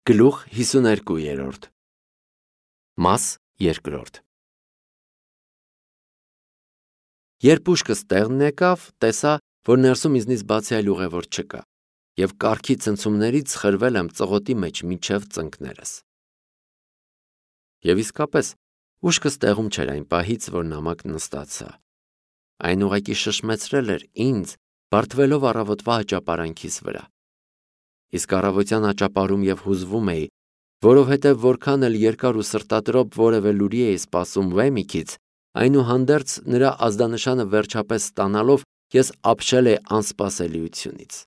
Գլուխ 52 Մաս 2 Երբ ուշքս տեղն եկավ, տեսա, որ ներսում ինձնից բացի այլ ուղևոր չկա, և կառքի ցնցումներից խրվել եմ ծղոտի մեջ մինչև ծնկներս։ Եվ իսկապես, ուշքս տեղում չէր այն պահից, որ նամակ նստացա։ Այն ուղղակի շշմեցրել էր ինձ, բարդվելով առավոտվա աճապարանքիս վրա։ Իսկ առավոտյան աճապարում և հուզվում էի, որովհետև որքան էլ երկար ու սրտադրոպ որևէ լուրի էի սպասում Վեմիքից, այնուհանդերձ նրա ազդանշանը վերջապես ստանալով ես ապշել էի անսպասելիությունից։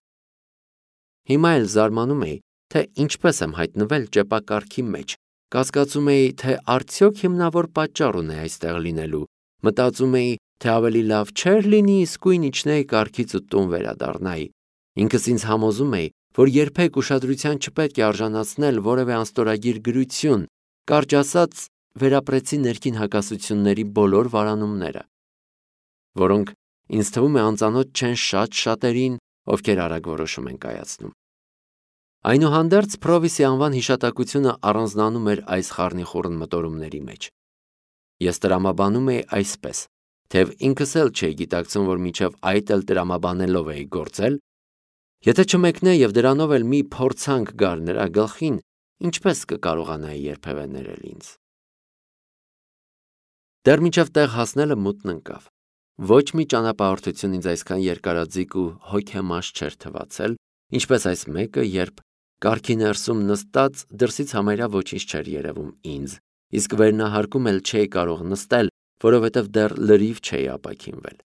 Հիմա էլ զարմանում էի, թե ինչպես եմ հայտնվել ճեպակառքի մեջ, կասկածում էի, թե արդյոք հիմնավոր պատճառ ունի այստեղ լինելու, մտածում էի, թե ավելի լավ չէր լինի իսկույն իջնեի կառքից ու տուն վերադառնայի, ինքս ինձ համոզում էի, որ երբեք ուշադրության չպետք է արժանացնել որևէ անստորագիր գրություն, կարճ ասած, վերապրեցի ներքին հակասությունների բոլոր վարանումները, որոնք ինձ թվում է անծանոթ չեն շատերին, ովքեր արագ որոշում են կայացնում։ Այնուհանդերձ Փրովիսի անվան հիշատակությունը առանձնանում էր այս խառնիխուռն մտորումների մեջ։ Ես տրամաբանում էի այսպես, թեև ինքս էլ չէի գիտակցում, որ մինչև այդ էլ տրամաբանելով էի գործել, եթե չմեկնե և դրանով էլ մի փորձանք գար նրա գլխին, ինչպես կկարողանայի երբևէ ներել ինձ։ Դեռ մինչև տեղ հասնելը մութն ընկավ։ Ոչ մի ճանապարհորդություն ինձ այսքան երկարաձիգ ու հոգեմաշ չէր թվացել, ինչպես այս մեկը, երբ կառքի ներսում նստած դրսից համարյա ոչինչ չէր երևում ինձ, իսկ վերնահարկում էլ չէի կարող նստել, որովհետև դեռ լրիվ չէի ապաքինվել։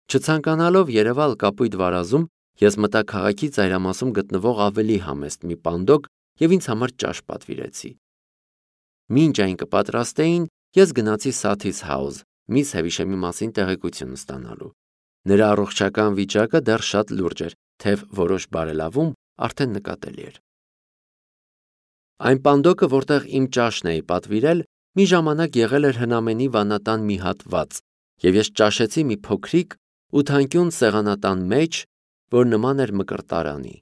Չցանկանալով երևալ կապույտ վարազում, ես մտա քաղաքի ծայրամասում գտնվող ավելի համեստ մի պանդոկ և ինձ համար ճաշ պատվիրեցի։ Մինչ այն կպատրաստեին, ես գնացի Սաթիս House, միս Հևիշեմի մասին տեղեկություն ստանալու։ Նրա առողջական վիճակը դեռ շատ լուրջ էր, թեև որոշ բարելավում արդեն նկատելի էր։ Այն պանդոկը, որտեղ իմ ճաշն էի պատվիրել, մի ժամանակ եղել էր հնամենի վանատան մի հատված, և ես ճաշեցի մի փոքրիկ, ութանկյուն սեղանատան մեջ, որ նման էր մկրտարանի։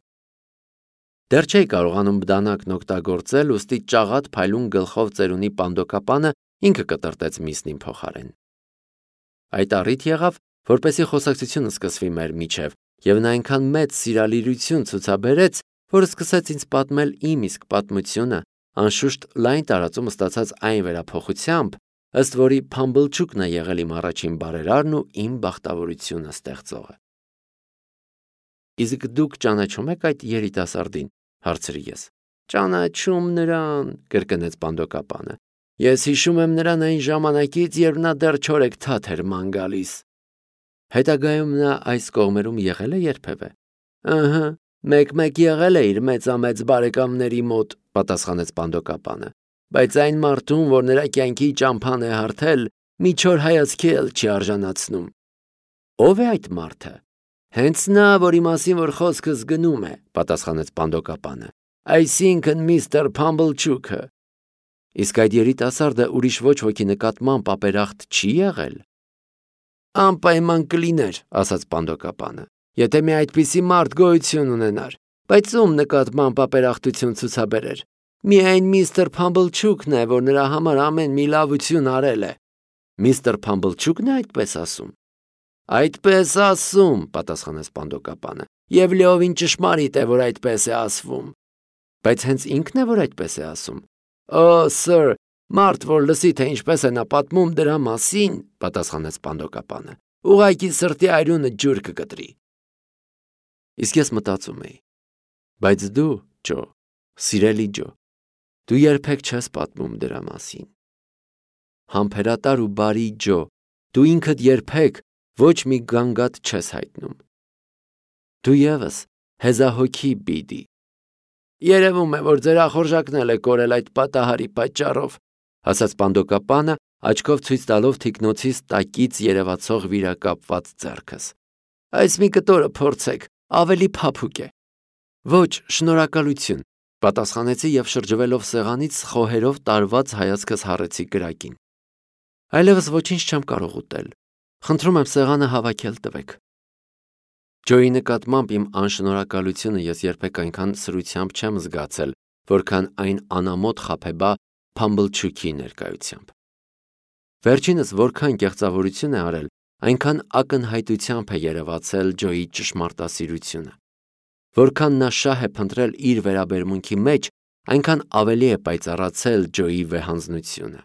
Դեռ չէի կարողանում բդանակն օգտագործել, ուստի ճաղատ փայլուն գլխով ծերունի պանդոկապանը ինքը կտրտեց միսն իմ փոխարեն։ Այդ առիթ եղավ, որպեսզի խոսակցությունը սկսվի մեր միջև, և նա այնքան մեծ սիրալիրություն ցուցաբերեց, որ սկսեց ինձ պատմել իմ իսկ պատմությունը, անշուշտ լայն տարածում ստացած այն վերափոխությամբ, ըստ որի Փամբլչուկն է եղել իմ առաջին բարերարն ու իմ բախտավորությունը ստեղծողը։ Իսկ դուք ճանաչում եք այդ երիտասարդին, հարցրի ես։ Ճանաչում նրան, կրկնեց պանդոկապանը։ Ես հիշում եմ նրան այն ժամանակից, երբ նա դեռ չորեքթաթ էր ման գալիս։ Հետագայում նա այս կողմերում եղել է երբևէ։ Ըհը, մեկ-մեկ եղել է իր մեծամեծ բարեկամների մոտ, պատասխանեց պանդոկապանը, բայց այն մարդուն, որ նրա կյանքի ճամփան է հարթել, մի չոր հայացքի էլ չի արժանացնում։ Ո՞վ է այդ մարդը։ Հենց նա, որի մասին որ խոսքս գնում է, պատասխանեց պանդոկապանը, այսինքն միստր Փամբլչուկը։ Իսկ այդ երիտասարդը ուրիշ ոչ ոքի նկատմամբ ապերախտ չի եղել։ Անպայման կլիներ, ասաց պանդոկապանը, եթե մի այդպիսի մարդ գոյություն ունենար, բայց ում նկատմամբ ապերախտություն ցուցաբերեր։ Միայն միստր Փամբլչուկն է, որ նրա համար ամեն մի լավություն արել է։ Միստր Փամբլչուկն է այդպես ասում։ Այդպես ասում, պատասխանեց պանդոկապանը, և լիովին ճշմարիտ է, որ այդպես է ասվում։ Բայց հենց ինքն է, որ այդպես է ասում։ Օ, սըր, մարդ, որ լսի, թե ինչպես է նա պատմում դրա մասին, պատասխանեց պանդոկապանը, ուղղակի սրտի այրունը ջուր կկտրի։ Իսկ ես մտածում էի. բայց դու, Ջո, սիրելի Ջո, դու երբեք չես պատմում դրա մասին։ Համբերատար ու բարի Ջո, դու ինքդ երբեք ոչ մի գանգատ չես հայտնում։ Դու ևս հեզահոգի բիդի։ Երևում է, որ ձեր ախորժակն էլ է կորել այդ պատահարի պատճառով, ասաց պանդոկապանը, աչքով ցույց տալով թիկնոցիս տակից երևացող վիրակապված ձեռքս։ Այս մի կտորը փորձեք, ավելի փափուկ է։ Ոչ, շնորհակալություն, պատասխանեցի և շրջվելով սեղանից խոհերով տարված հայացքս հառեցի կրակին։ Այլևս ոչինչ չեմ կարող ուտել։ Խնդրում եմ սեղանը հավաքել տվեք։ Ջոյի նկատմամբ իմ անշնորհակալությունը ես երբեք այնքան սրությամբ չեմ զգացել, որքան այն անամոթ խաբեբա Փամբլչուքի ներկայությամբ։ Վերջինս որքան կեղծավորություն է արել, այնքան ակնհայտությամբ է երևացել Ջոյի ճշմարտասիրությունը։ Որքան նա շահ է փնտրել իր վերաբերմունքի մեջ, այնքան ավելի է պայծառացել Ջոյի վեհանձնությունը։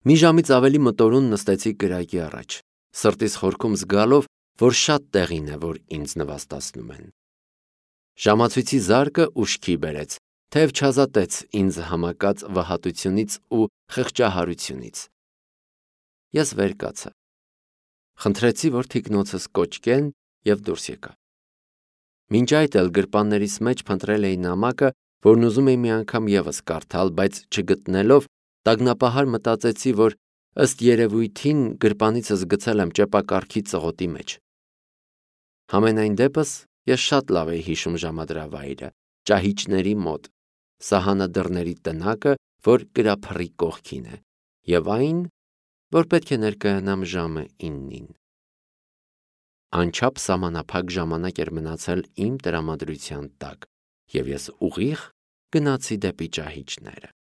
Մի ժամից ավելի մտորուն նստեցի կրակի առաջ, սրտիս խորքում զգալով, որ շատ տեղին է, որ ինձ նվաստացնում են։ Ժամացույցի զարկը ուշքի բերեց, թեև չազատեց ինձ համակած վհատությունից ու խղճահարությունից։ Ես վեր կացա։ Խնդրեցի, որ թիկնոցս կոչկեն և դուրս եկա։ Մինչ այդ էլ գրպաններիս մեջ փնտրել էի նամակը, որն ուզում էի մի անգամ ևս կարդալ, բայց չգտնելով, տագնապահար մտածեցի, որ ըստ երևույթին գրպանիցս գցել եմ ճեպակառքի ծղոտի մեջ։ Համենայն դեպս ես շատ լավ էի հիշում ժամադրավայրը, ճահիճների մոտ, սահանադրների տնակը, որ կրափռի կողքին է, և այն, որ պետք է ներկայանամ ժամը 9-ին։ Անչափ սահմանափակ ժամանակ էր մնացել իմ տրամադրության տակ, և ես ուղիղ գնացի դեպի ճահիճները։